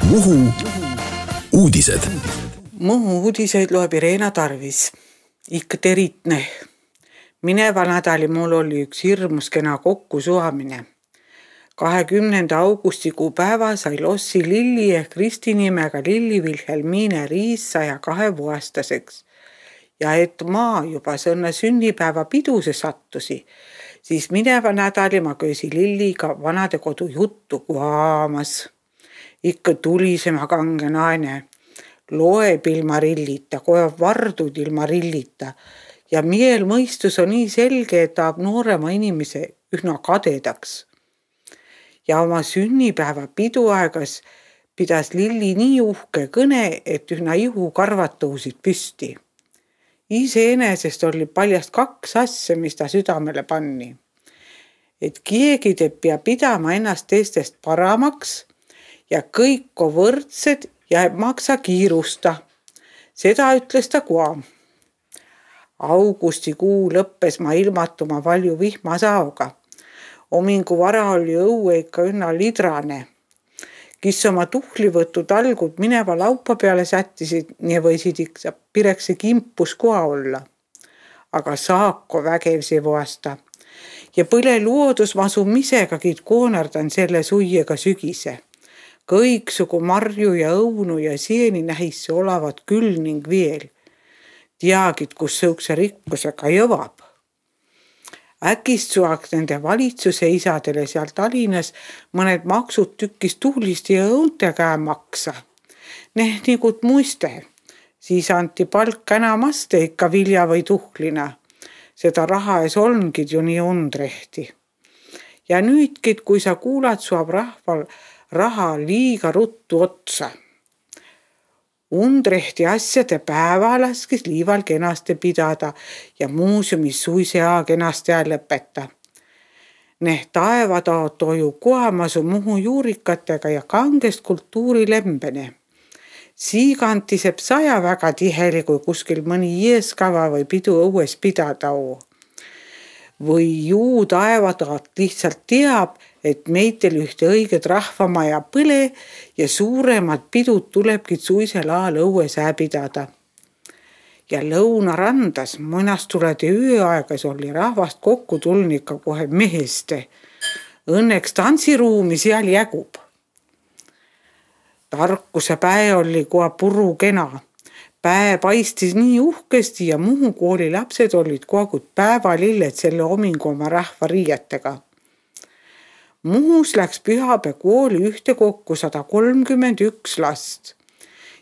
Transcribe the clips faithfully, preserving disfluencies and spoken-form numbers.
Muhu uudised. Muhu uudiseid loeb Irena Tarvis. Ikka teritne. Mineva nädali mul oli üks hirmus kena kokkusuamine. kahekümnenda augustikuu päeva sai Lossi Lilli ehk Kristi nimega Lilli Vilhelmine Riis saja kahevuastaseks. Ja et ma juba sõnne sünnipäeva piduse sattusi, siis mineva nädali ma köösi Lilliga vanade kodu juttu kuhaamas. Ikka tulisema kange naine, loeb ilma rillita, kojab vardud ilma rillita ja miel mõistus on nii selge, et tahab noorema inimese üsna kadedaks. Ja oma sünnipäeva piduaegas pidas Lilli nii uhke kõne, et üsna ihu karvad tõusid püsti. Iseenesest oli paljast kaks asja, mis ta südamele panni. Et keegi teeb pea pidama ennast teistest paramaks ja kõik on võrdsed ja ei maksa kiirusta. Seda ütles ta kua. Augustikuu lõppes ma ilmatuma valju vihmasaoga. Omingu vara oli õue ikka üna lidrane. Kis oma tuhlivõttu talgud mineva laupa peale sättisid, nii võisid ikka pireksi kimpus koha olla. Aga saako vägevsi vuasta. Ja põle luodus masu misegagi koonardan selle suiega sügise. Kõiksugu marju ja õunu ja sieni nähisse olevat küll ning veel. Teagid, kus sõukse rikkusega jõvab. Äkist suaks nende valitsuse isadele seal Tallinnas mõned maksud tükis tuhlist ja õunte käe maksa. Neh nigut muiste. Siis anti palk enamaste ikka vilja või tuhlina. Seda raha ees olngid ju nii undrehti. Ja nüüdkid, kui sa kuulad, suab rahval raha liiga ruttu otsa. Undrehti asjade päeva laskis liival kenasti pidada ja muuseumis suisea kenasti lõpeta. Neh taevataot toju kohamasu Muhu juurikatega ja kangest kultuurilembene. Siigantiseb saja väga tiheli, kui kuskil mõni jeeskava või pidu õues pidada oo. Või juu taevataot lihtsalt teab, et meitel ühte õiget rahvamaja põle ja suuremad pidud tulebki suisel aal õues pidada. Ja lõunarandas mõnast tuledi ööaegas oli rahvast kokku tulnika kohe meheste. Õnneks tantsiruumi seal jägub. Tarkuse päe oli koha puru kena. Päe paistis nii uhkesti ja Muhu kooli lapsed olid kogu päevalilled selle omingu oma rahva riietega. Muhus läks pühapäe kooli ühte kokku sada kolmkümmend üks last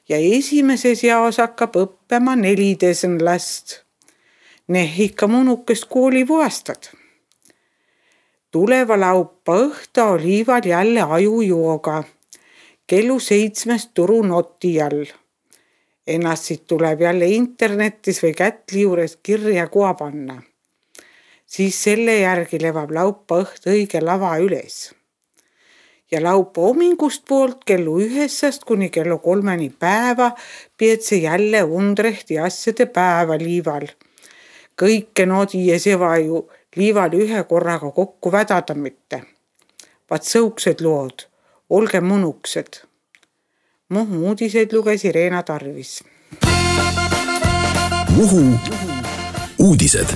ja esimeses jaos hakkab õppima neliteist last. Neh ikka mõnukest kooli vuastad. Tuleva laupa õhta oli ival jälle ajujooga. Kellu seitsmest turu noti all. Ennast siit tuleb jälle internetis või kätli juures kirja koha panna. Siis selle järgi levab laupa õht õige lava üles. Ja laupa omingust poolt kellu ühessast kuni kellu kolmeni päeva peetse jälle undrehti asjade päeva liival. Kõike nodi ja seva ju liival ühe korraga kokku vädada mitte. Vaat sõuksed lood, olge mõnuksed. Muhu uudiseid luges Irena Tarvis. Muhu uudised.